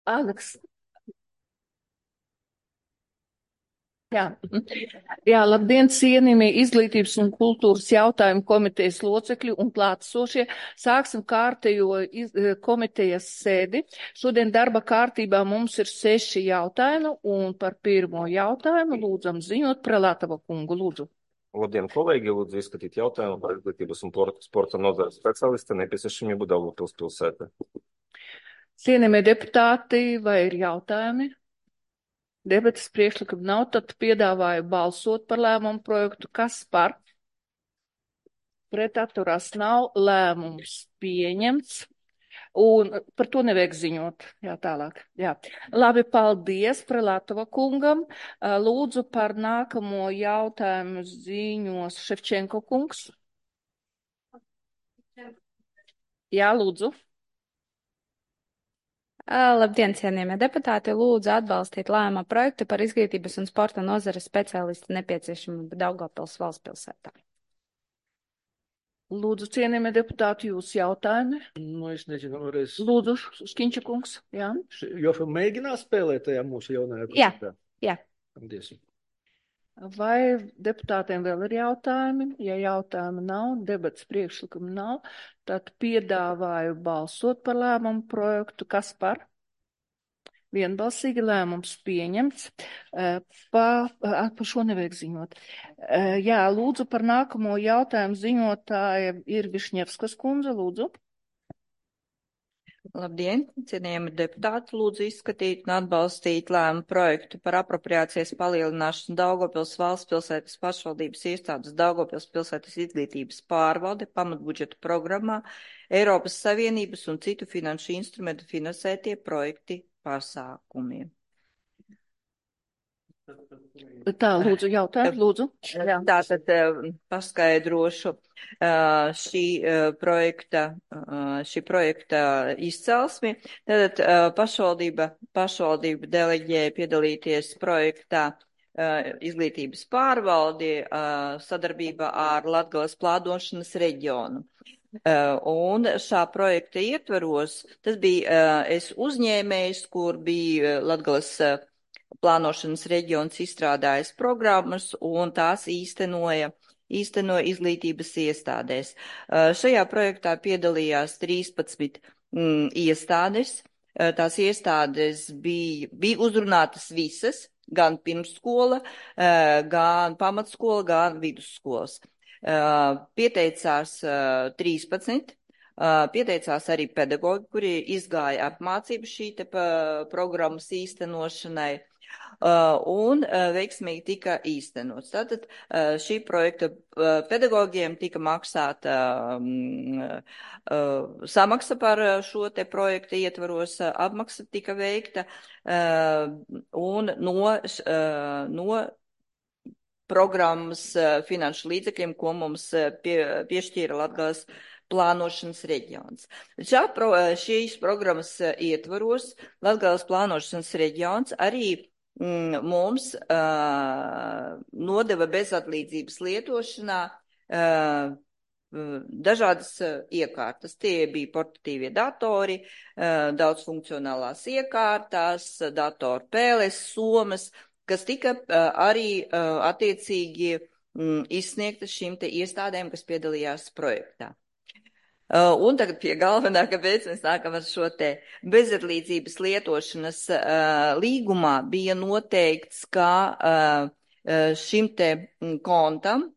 Aleks. Jā. Jā, labdien, cienījamie izglītības un kultūras jautājumu komitejas locekļi un klātesošie. Sāksim kārtējo komitejas sēdi. Šodien darba kārtībā mums ir 6 jautājumi, un par pirmo jautājumu lūdzam ziņot Prelatava kungu. Lūdzu. Labdien, kolēģi! Lūdzu izskatīt jautājumu par izglītības un sporta nozares speciālista nepieciešamību Daugavpils pilsētā. Cienījamie deputāti, vai ir jautājumi? Debates priekšlikumi nav, tad piedāvāju balsot par lēmumu projektu. Kas par? Pret atturās nav, lēmums pieņemts. Un par to nevajag ziņot. Jā, tālāk. Jā. Labi, paldies Prelatova kungam. Lūdzu par nākamo jautājumu ziņos Ševčenko kungs. Jā, lūdzu. Labdien, cienījamie deputāti! Lūdzu atbalstīt lēmuma projektu par izglītības un sporta nozares speciālistu nepieciešamību Daugavpils valstspilsētā. Lūdzu, cienījamie deputāti, jūs jautājumi? Es nezinu, vēlreiz. Lūdzu, Škiņča kungs. Jā. Jofa mēģinās spēlēt tajā mūsu jaunajā Jā, projektā? jā. Paldies. Vai deputātiem vēl ir jautājumi? Ja jautājumi nav, debats priekšlikumi nav, tad piedāvāju balsot par lēmumu projektu. Kas par? Vienbalsīgi lēmums pieņemts. Par šo nevajag ziņot. Jā, lūdzu par nākamo jautājumu ziņotāja ir Višņevskas kundze, lūdzu. Labdien, cienījami deputāti, lūdzu izskatīt un atbalstīt lēmumu projektu par apropriācijas palielināšanu Daugavpils valstspilsētas pašvaldības iestādes Daugavpils pilsētas izglītības pārvalde pamatbudžeta programmā Eiropas Savienības un citu finanšu instrumentu finansētie projekti pasākumiem. Tā, lūdzu, jautājumu, lūdzu. Jā. Tātad paskaidrošu šī projekta izcelsmi. Tātad pašvaldība deleģēja piedalīties projektā izglītības pārvaldi sadarbībā ar Latgales plānošanas reģionu. Un šā projekta ietvaros, tas bija es uzņēmējs, kur bija Latgales plānošanas reģions izstrādājis programmas un tās īstenoja izglītības iestādēs. Šajā projektā piedalījās 13 iestādes. Tās iestādes bija uzrunātas visas, gan pirmsskola, gan pamatskola, gan vidusskolas. Pieteicās 13. Pieteicās arī pedagoģi, kuri izgāja apmācību šī programmas īstenošanai. Un veiksmīgi tika īstenots. Tātad šī projekta pedagogiem tika maksāta samaksa par šo te projekta ietvaros, apmaksa tika veikta un no programmas finanšu līdzekļiem, ko mums piešķīra Latgales plānošanas reģions. Šīs programmas ietvaros Latgales plānošanas reģions arī mums nodeva bezatlīdzības lietošanā dažādas iekārtas. Tie bija portatīvie datori, daudzfunkcionālās iekārtas, datoru pēles, somas, kas tika arī attiecīgi izsniegtas šīm te iestādēm, kas piedalījās projektā. Un tagad pie galvenā, kāpēc mēs nākam ar šo te bezatlīdzības lietošanas līgumā bija noteikts, ka šim te kontam,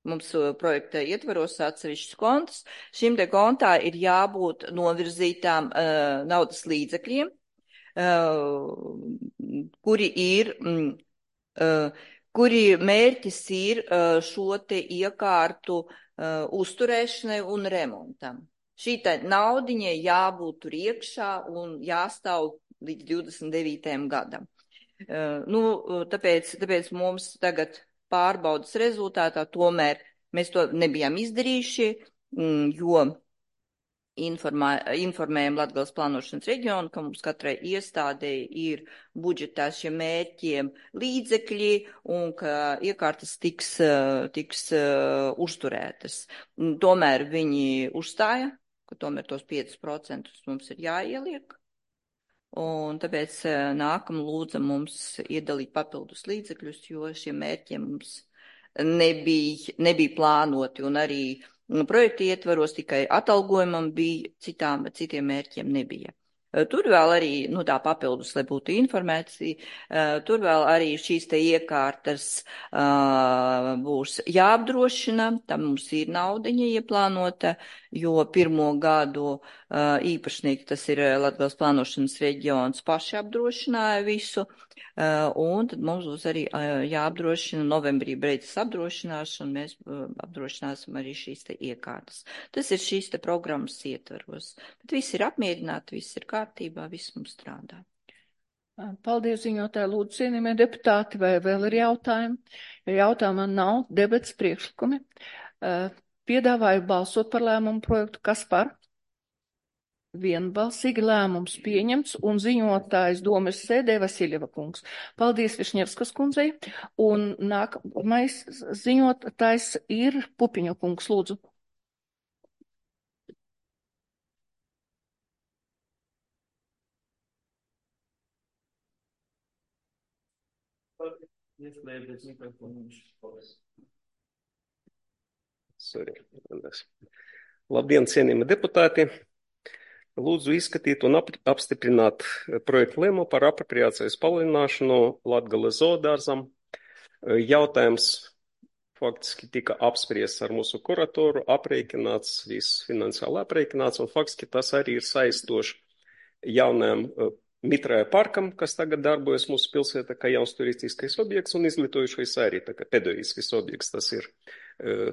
mums projekta ietvaros atsevišķus kontus, šim te kontā ir jābūt novirzītām naudas līdzekļiem, kuri mērķis ir šo te iekārtu uzturēšanai un remontam. Šī naudiņai jābūt tur iekšā un jāstāv līdz 29. gadam. Tāpēc mums tagad pārbaudas rezultātā tomēr mēs to nebijām izdarījuši, jo informējam Latgales plānošanas reģionu, ka mums katrai iestādei ir budžetā šiem mērķiem līdzekļi un ka iekārtas tiks uzturētas. Tomēr viņi uzstāja, ka tomēr tos 5% mums ir jāieliek. un tāpēc nākam lūdzam mums iedalīt papildus līdzekļus, jo šiem mērķiem mums nebija plānoti, un arī projekta ietvaros tikai atalgojumam bija, citiem mērķiem nebija. Tur vēl arī, tā papildus, lai būtu informēti, tur vēl arī šīs te iekārtas būs jāapdrošina, tam mums ir naudiņa ieplānota, jo pirmo gadu īpašnieki, tas ir Latgales plānošanas reģions, paši apdrošināja visu, un tad mums būs arī jāapdrošina, novembrī beidzas apdrošināšana, mēs apdrošināsim arī šīs te iekārtas. Tas ir šīs te programmas ietvaros, bet viss ir apmierināti, viss ir kārtībā, viss mums strādā. Paldies, ziņotāji, lūdzu, cienījamie deputāti, vai vēl ir jautājumi? Ja jautājumā nav, debats priekšlikumi. Piedāvāju balsot par lēmumu projektu, kas par? Vienbalsīgi lēmums pieņemts un ziņotājs domes sēdē Vasiljeva kungs. Paldies Višņevskas kundzei. Un nākamais ziņotājs ir Pupiņa kungs, lūdzu. Labdien, cienījami deputāti! Lūdzu izskatīt un apstiprināt projektu lēmumu par apropriācijas palielināšanu Latgales zoodārzam. Jautājums faktiski tika apspriests ar mūsu kuratoru, aprēķināts, viss finansiāli aprēķināts, un faktiski tas arī ir saistoši jaunajam mitrāja parkam, kas tagad darbojas mūsu pilsētā, kā jauns turistiskais objekts un izglītojušais arī, tā kā pedagoģiskais objekts tas ir.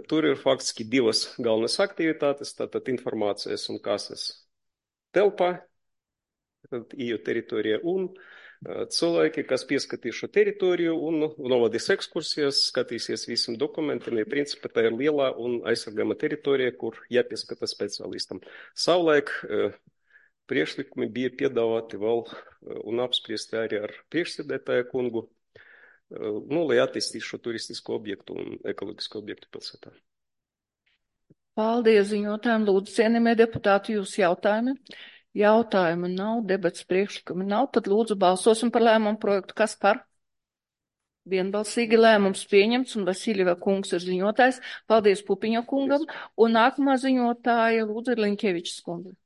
Tur ir faktiski divas galvenas aktivitātes, tātad informācijas un kases telpā, iju teritorija un cilvēki, kas pieskatīs šo teritoriju un novadīs ekskursijas, skatīsies visam dokumentiem, ja principā tā ir lielā un aizsargāma teritorija, kur jāpieskata speciālistam. Savulaik priekšlikumi bija piedāvāti vēl un apspriesti arī ar priekšsēdētāju kungu, lai attīstītu šo turistisko objektu un ekoloģisko objektu pilsētā. Paldies ziņotājiem, lūdzu, cienījamie deputāti, jūs jautājumi? Jautājumu nav, debats priekšlikumi nav, tad lūdzu balsosim par lēmumu projektu. Kas par? Vienbalsīgi lēmums pieņemts un Vasiljeva kungs ir ziņotājs. Paldies Pupiņa kungam. Un nākamā ziņotāja lūdzu ir Liņkevičs kundze.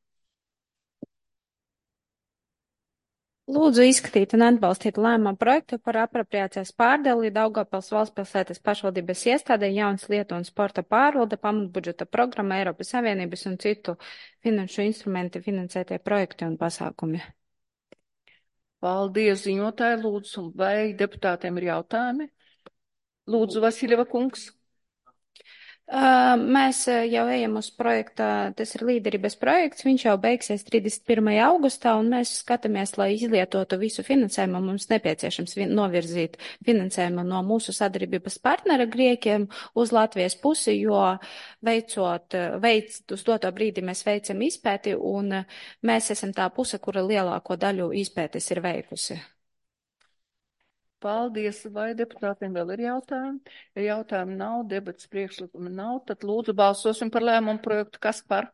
Lūdzu izskatīt un atbalstīt lēmumu projektu par apropriācijas pārdali Daugavpils valstspilsētas pašvaldības iestādē jaunas lietu un sporta pārvalde, pamatbudžeta programma, Eiropas Savienības un citu finanšu instrumenti finansētie projekti un pasākumi. Paldies ziņotāji, lūdzu, vai deputātiem ir jautājumi? Lūdzu, Vasiljeva kungs. Mēs jau ejam uz projekta, tas ir līderības projekts, viņš jau beigsies 31. augustā, un mēs skatāmies, lai izlietotu visu finansējumu. Mums nepieciešams novirzīt finansējumu no mūsu sadarbības partnera Grieķiem uz Latvijas pusi, jo uz doto brīdi mēs veicam izpēti, un mēs esam tā puse, kura lielāko daļu izpētes ir veikusi. Paldies, vai deputātiem vēl ir jautājumi? Ja jautājumi nav, debats priekšlikumi nav, tad lūdzu balsosim par lēmumu projektu. Kas par?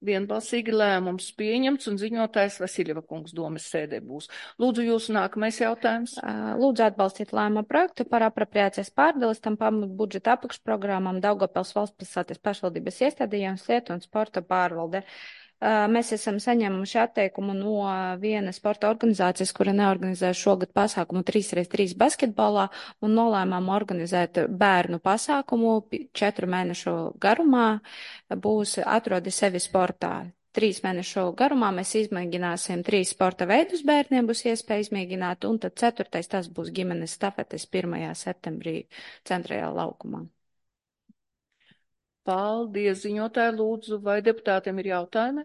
Vienbalsīgi lēmums pieņemts un ziņotājs Vasiljeva kungs domes sēdē būs. Lūdzu, jūsu nākamais jautājums. Lūdzu atbalstīt lēmumu projektu par apropriācijas pārdalis tam pamatbudžeta apakšprogrammam Daugavpils valstspilsētas pašvaldības iestādījām lietu un sporta pārvalde. Mēs esam saņēmuši atteikumu no vienas sporta organizācijas, kura neorganizē šogad pasākumu 3x3 basketbolā un nolēmām organizēt bērnu pasākumu 4 mēnešu garumā, būs atrodi sevi sportā. 3 mēnešu garumā mēs izmēģināsim 3 sporta veidus bērniem, būs iespēja izmēģināt, un tad 4. tas būs ģimenes stafetes 1. septembrī centrālajā laukumā. Paldies, ziņotāji, lūdzu, vai deputātiem ir jautājumi?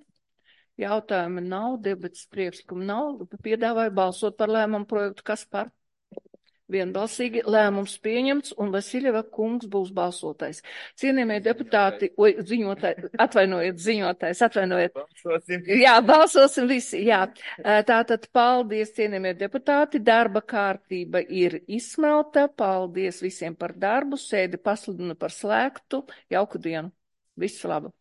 Jautājumi nav, debats priekšlikumi nav. Piedāvāju balsot par lēmumu projektu. Kas par? Vienbalsīgi lēmums pieņemts un Vasiljeva kungs būs balsotais. Cienījamie deputāti, ziņotājs. Jā, balsosim visi, jā. Tātad paldies, cienījamie deputāti, darba kārtība ir izsmelta, paldies visiem par darbu, sēdi pasludinu par slēgtu, jauku dienu, visu labu.